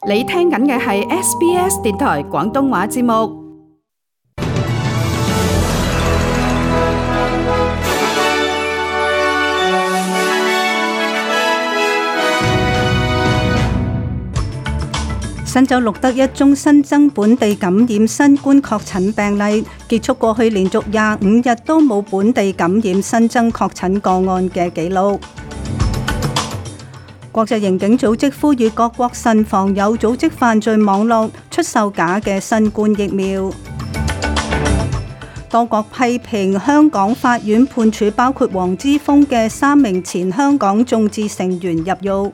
你聽緊嘅係 SBS 電台廣東話節目。新州錄得一宗新增本地感染新冠確診病例，結束過去連續25日都冇本地感染新增確診個案嘅紀錄。國際刑警組織呼籲各國慎防有組織犯罪網絡出售假嘅新冠疫苗。多國批評香港法院判處包括黃之鋒嘅3名前香港眾志成員入獄。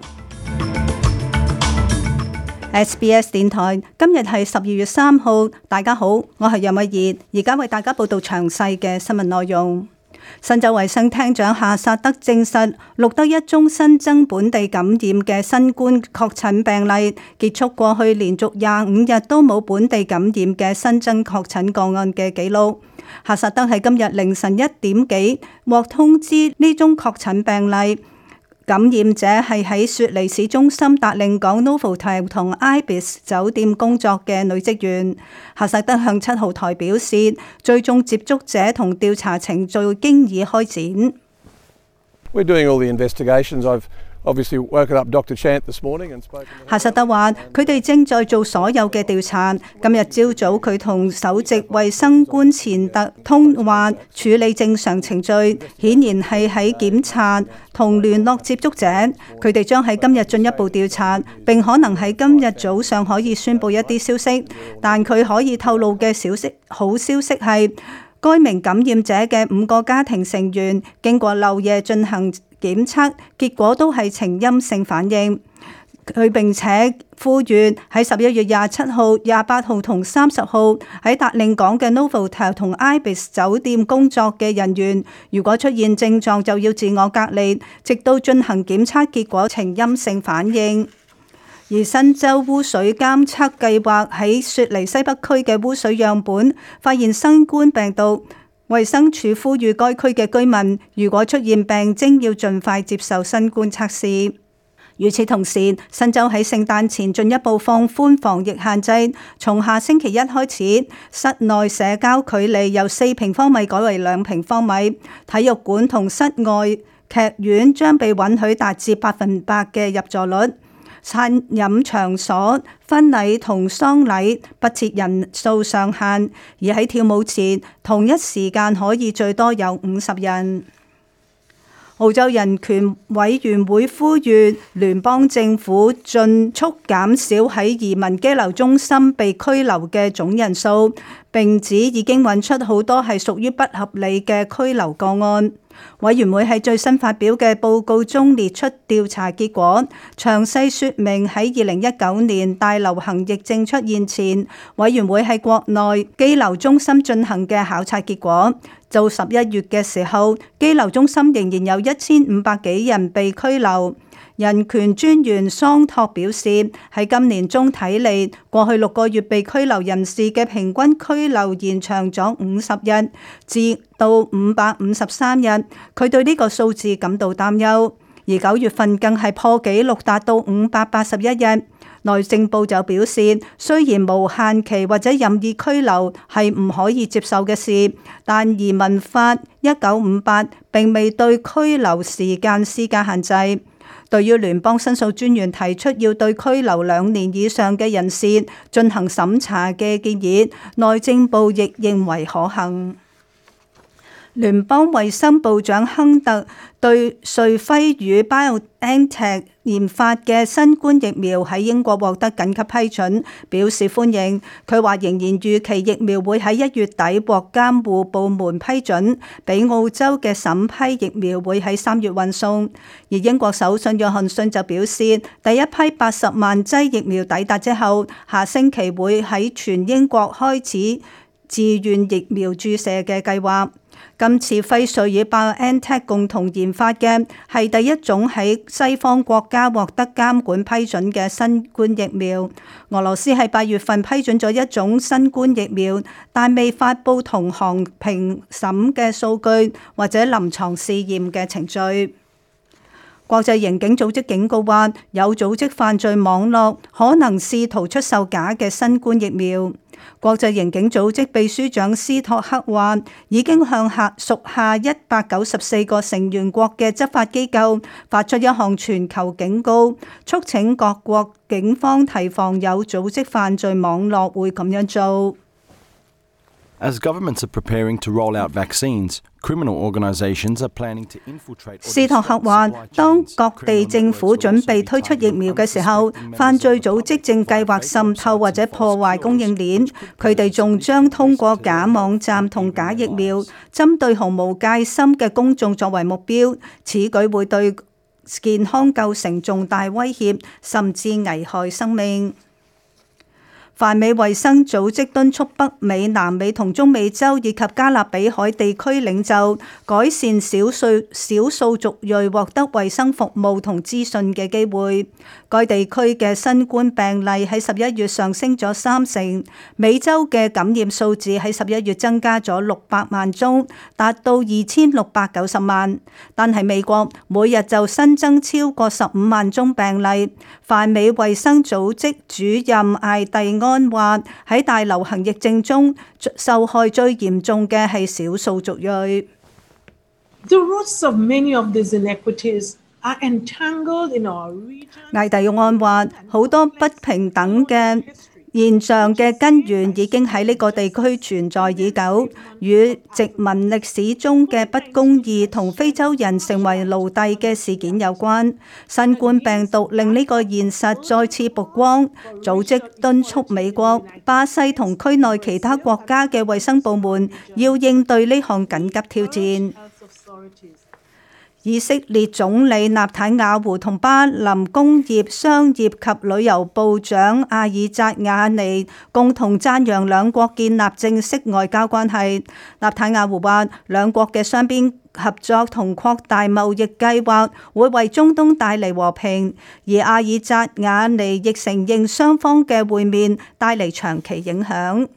SBS 電台今日係12月3號，大家好，我係楊慧儀，而家為大家報道詳細嘅新聞內容。新州衛生廳長夏薩德證實錄得一宗新增本地感染嘅新冠確診病例，結束過去連續25日都冇本地感染嘅新增確診個案嘅紀錄。夏薩德喺今日凌晨1點幾獲通知呢宗確診病例。感染者係喺雪梨市中心達令港 Novotel 同 Ibis 酒店工作嘅女職員。夏薩德向7號台表示，追蹤接觸者同調查程序經已開展。We're doing all the investigations. I've obviously woken up Dr. Chant this morning and spoken. 夏薩德話：佢哋正在做所有嘅調查。今日朝早佢同首席衛生官錢特通話，處理正常程序，顯然係喺檢查同聯絡接觸者。佢哋將喺今日進一步調查，並可能喺今日早上可以宣佈一啲消息。但佢可以透露嘅好消息係，該名感染者嘅5個家庭成員經過漏夜進行檢測，結果都係呈陰性反應。佢並且呼籲喺11月27號、28號同30號喺達令港嘅 Novotel 同 Ibis 酒店工作嘅人員，如果出現症狀就要自我隔離，直到進行檢測結果呈陰性反應。而新州污水監測計劃喺雪梨西北區嘅污水樣本發現新冠病毒。衛生署呼籲該區嘅居民，如果出現病徵，要盡快接受新冠測試。與此同時，新州喺聖誕前進一步放寬防疫限制，從下星期一開始，室內社交距離由4平方米改為2平方米，體育館同室外劇院將被允許達至100%嘅入座率。餐飲場所、婚禮同喪禮不設人數上限，而喺跳舞前同一時間可以最多有50人。澳洲人權委員會呼籲聯邦政府盡速減少喺移民羈留中心被拘留嘅總人數，並指已經揾出好多係屬於不合理嘅拘留個案。委員會喺最新發表嘅報告中列出調查結果，詳細說明喺2019年大流行疫症出現前，委員會喺國內羈留中心進行嘅考察結果。到11月嘅時候，羈留中心仍然有1500幾人被拘留。人權專員桑托表示，喺今年中睇嚟，過去6個月被拘留人士嘅平均拘留延長咗50日，至到553日。佢對呢個數字感到擔憂。而9月份更係破紀錄，達到581日。內政部就表示，雖然無限期或者任意拘留係唔可以接受嘅事，但移民法1958並未對拘留時間施加限制。對於聯邦申訴專員提出要對拘留2年以上嘅人士進行審查嘅建議，內政部亦認為可行。聯邦衛生部長亨特對瑞輝與 BioNTech 研發嘅新冠疫苗喺英國獲得緊急批准，表示歡迎。佢話仍然預期疫苗會喺1月底獲監護部門批准，比澳洲嘅審批疫苗會喺3月運送。而英國首相約翰遜就表示，第一批80萬劑疫苗抵達之後，下星期會喺全英國開始自願疫苗注射嘅計劃。今次輝瑞與 BioNTech 共同研發嘅係第一種喺西方國家獲得監管批准嘅新冠疫苗。俄羅斯喺8月份批准咗一種新冠疫苗，但未發布同行評審嘅數據或者臨床試驗嘅程序。國際刑警組織警告話，有組織犯罪網絡可能試圖出售假嘅新冠疫苗。國際刑警組織秘書長斯托克話，已經向屬下194個成員國嘅執法機構發出一項全球警告，促請各國警方提防有組織犯罪網絡會咁樣做。As governments are preparing to roll out vaccines, criminal organizations are planning to infiltrate. 斯托克話，當各地政府準備推出疫苗嘅時候，犯罪組織正計劃滲透或者破壞供應鏈。佢哋仲將通過假網站同假疫苗，針對毫無戒心嘅公眾作為目標。此舉會對健康構成重大威脅，甚至危害生命。泛美衛生組織敦促北美、南美同中美洲以及加勒比海地區領袖改善少數族裔獲得衛生服務同資訊嘅機會。該地區嘅新冠病例喺11月上升咗30%，美洲嘅感染數字喺11月增加咗600萬宗，達到2690萬。但係美國每日就新增超過15萬宗病例。泛美衛生組織主任艾蒂安話，喺大流行疫症中，受害最嚴重嘅係少數族裔。The roots of many of these inequities are entangled in our region. 艾蒂安話，好多不平等嘅現象嘅根源已經喺呢個地區存在已久，與殖民歷史中嘅不公義同非洲人成為奴隸嘅事件有關。新冠病毒令呢個現實再次曝光，組織敦促美國、巴西同區內其他國家嘅衛生部門要應對呢項緊急挑戰。以色列總理納坦雅胡同巴林工業、商業及旅遊部長阿爾扎雅尼共同讚揚兩國建立正式外交關係。納坦雅胡話，兩國嘅雙邊合作同擴大貿易計劃會為中東帶嚟和平，而阿爾扎雅尼亦承認雙方嘅會面帶嚟長期影響。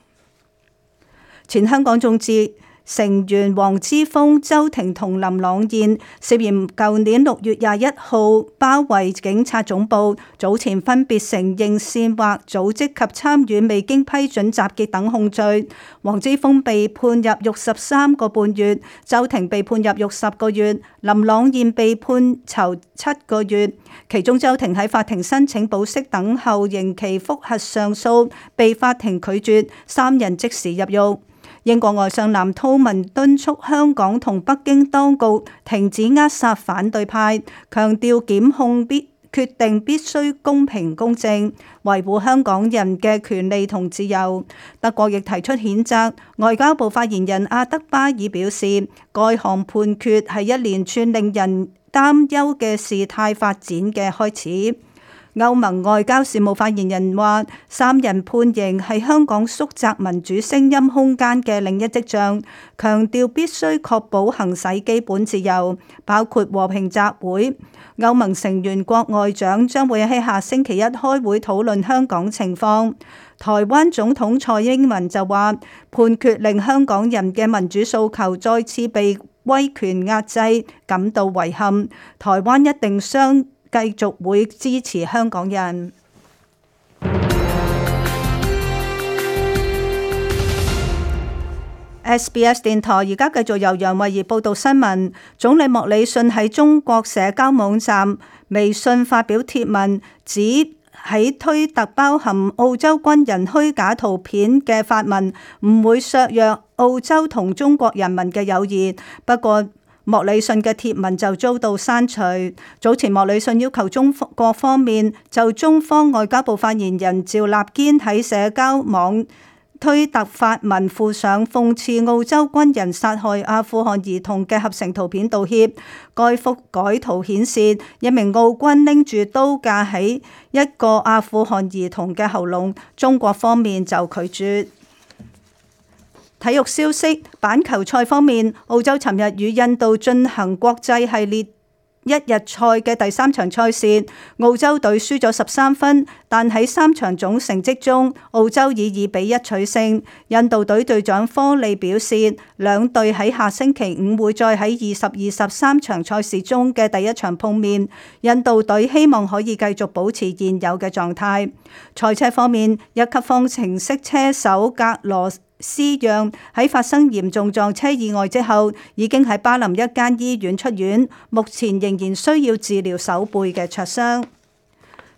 前香港眾志成員黃之鋒、周庭同林朗彥涉嫌舊年6月21號包圍警察總部，早前分別承認煽惑、組織及參與未經批准集結等控罪。黃之鋒被判入獄13個半月，周庭被判入獄10個月，林朗彥被判囚7個月。其中周庭喺法庭申請保釋等候刑期覆核上訴，被法庭拒絕，3人即時入獄。英國外相藍韜文敦促香港同北京當局停止扼殺反對派，強調檢控決定必須公平公正，維護香港人嘅權利同自由。德國亦提出譴責。外交部發言人阿德巴爾表示，該項判決係一連串令人擔憂嘅事態發展嘅開始。歐盟外交事務發言人話，3人判刑係香港縮窄民主聲音空間嘅另一跡象，強調必須確保行使基本自由，包括和平集會。歐盟成員國外長將會喺下星期一開會討論香港情況。台灣總統蔡英文就話，判決令香港人嘅民主訴求再次被威權壓制，感到遺憾。台灣一定繼續會支持香港人。SBS 電台而家繼續由楊慧儀報道新聞。總理莫里遜喺中國社交網站微信發表貼文，指喺推特包含澳洲軍人虛假圖片嘅發文唔會削弱澳洲同中國人民嘅友誼。不過，莫里遜嘅貼文就遭到刪除。早前莫里遜要求中國方面就中方外交部發言人趙立堅喺社交網推特發文附上諷刺澳洲軍人殺害阿富汗兒童嘅合成圖片道歉。該幅改圖顯示一名澳軍拎住刀架喺一個阿富汗兒童嘅喉嚨，中國方面就拒絕。體育消息，板球賽方面，澳洲尋日與印度進行國際系列一日賽嘅第3場賽事，澳洲隊輸咗13分，但喺3場總成績中，澳洲以2-1取勝。印度隊隊長科利表示，兩隊喺下星期5會再喺23場賽事中嘅第1場碰面。印度隊希望可以繼續保持現有嘅狀態。賽車方面，1級方程式車手格羅斯讓喺發生嚴重撞車意外之後，已經喺巴林一間醫院出院，目前仍然需要治療手背嘅灼傷。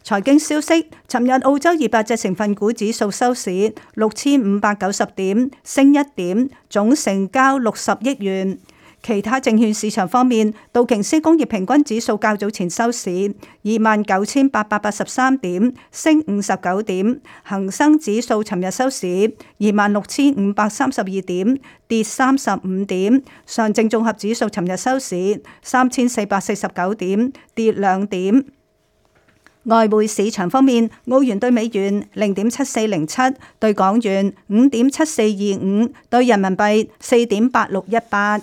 財經消息，尋日澳洲200隻成分股指數收市6590點，升1點，總成交60億元。其他證券市場方面，道瓊斯工業平均指數較早前收市29,883點，升59點；恒生指數尋日收市26,532點，跌35點；上證綜合指數尋日收市3,449點，跌2點。外匯市場方面，澳元對美元0.7407，對港元5.7425，對人民幣4.8618。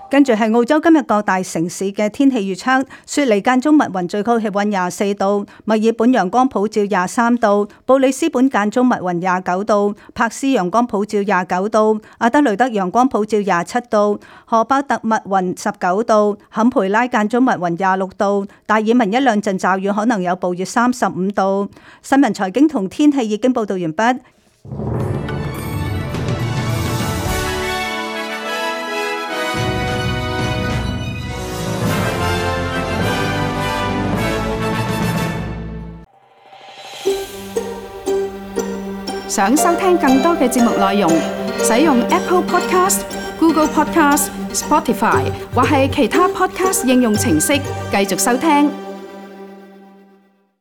跟住係澳洲今日各大城市嘅天氣預測：雪梨間中密雲，最高氣溫24度；墨爾本陽光普照23度；布里斯本間中密雲29度；珀斯陽光普照29度；阿德雷德陽光普照27度；荷巴特密雲19度；坎培拉間中密雲26度；達爾文一兩陣驟雨，可能有暴雨35度。新聞財經同天氣已經報道完畢。想收聽更多嘅節目內容，使用 Apple Podcast、Google Podcast、Spotify 或係其他 Podcast 應用程式繼續收聽。